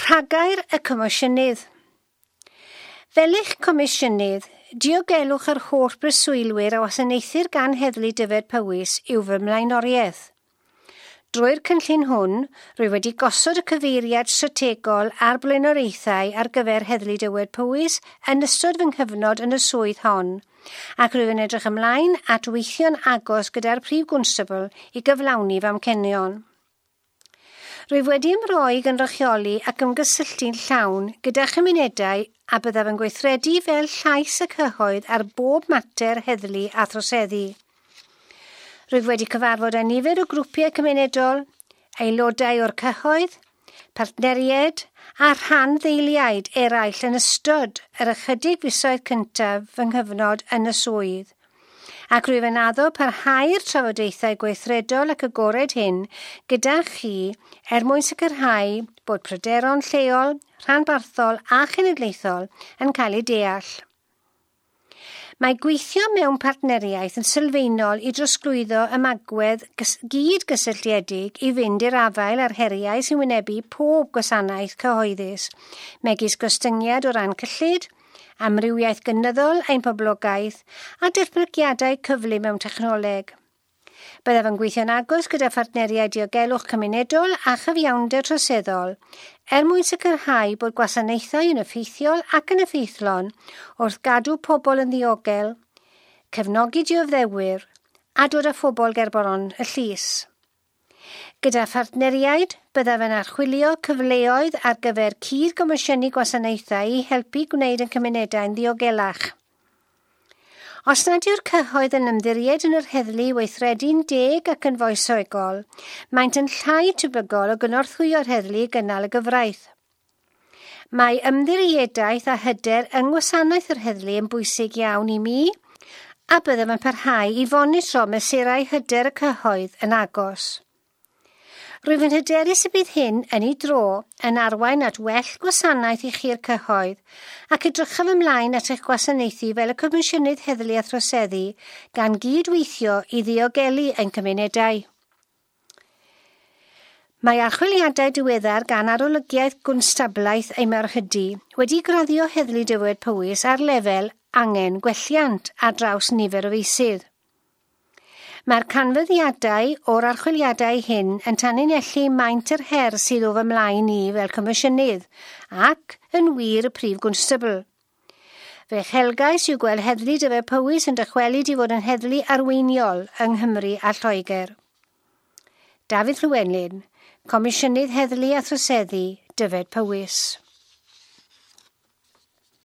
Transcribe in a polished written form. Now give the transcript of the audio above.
Rhagair y Comisiynydd. Fel eich Comisiynydd, diogelwch yr holl breswylwyr a wasanaethir gan Heddlu Dyfed Powys yw fy mlaenoriaeth. Drwy'r cynllun hwn, rwy wedi gosod y cyfeiriad strategol a'r blaenoriaethau ar gyfer Heddlu Dyfed Powys yn ystod fy nghyfnod yn y swydd hon, ac rwyf yn edrych ymlaen at weithio'n agos gyda'r Prif Gwnstabl i gyflawni fy amcenion. Rwyf wedi ymroi i gynrychioli ac ymgysylltu'n llawn gyda chymunedau a byddaf yn gweithredu fel llais y cyhoedd ar bob mater heddlu a throseddu. Rwyf wedi cyfarfod â nifer o grwpiau cymunedol, aelodau o'r cyhoedd, partneriaid a rhanddeiliaid eraill yn ystod yr ychydig fisoedd cyntaf fy nghyfnod yn y swydd, ac rwyf yn addo parhau'r trafodaethau gweithredol ac agored hyn gyda chi er mwyn sicrhau bod pryderon lleol, rhanbarthol a chenedlaethol yn cael eu deall. Mae gweithio mewn partneriaeth yn sylfaenol i drosglwyddo ymagwedd gyd-gysylltiedig i fynd i'r afael â'r heriau sy'n wynebu pob gwasanaeth cyhoeddus, megis gostyngiad o ran cyllid, amrywiaeth gynyddol ein poblogaeth a datblygiadau cyflym mewn technoleg. Byddaf yn gweithio'n agos gyda phartneriaid diogelwch cymunedol a chyfiawnder troseddol er mwyn sicrhau bod gwasanaethau yn effeithiol ac yn effeithlon wrth gadw pobl yn ddiogel, cefnogi dioddefwyr a dod â phobl gerbron y llys. Gyda phartneriaid, byddaf yn archwilio cyfleoedd ar gyfer cyd-gomisiynu gwasanaethau i helpu gwneud ein cymunedau'n ddiogelach. Os nad yw'r cyhoedd yn ymddiried yn yr heddlu i weithredu'n deg ac yn foesogol, maent yn llai tebygol o gynorthwyo'r heddlu i gynnal y gyfraith. Mae ymddiriedaeth a hyder yng ngwasanaeth yr heddlu yn bwysig iawn i mi, a byddaf yn parhau i fonitro mesurau hyder y cyhoedd yn agos. Rwyf yn hyderus y bydd hyn, yn ei dro, yn arwain at well gwasanaeth i chi'r cyhoedd, ac edrychaf ymlaen at eich gwasanaethu fel y Comisiynydd Heddlu a Throseddu gan gydweithio i ddiogelu ein cymunedau. Mae archwiliadau diweddar gan Arolygiaeth Gwnstablaeth ei Mawrhydi wedi graddio Heddlu Dyfed Powys ar lefel angen gwelliant ar draws nifer o feysydd. Mae'r canfyddiadau o'r archwiliadau hyn yn tanlinellu maint yr her sydd o fy mlaen i fel Comisiynydd ac yn wir y Prif Gwnstabl. Fe chelgais yw gweld Heddlu Dyfed Powys yn dychwelyd i fod yn heddlu arweiniol yng Nghymru a Lloegr. Dafydd Llewelyn, Comisiynydd Heddlu a Throseddu, Dyfed Powys.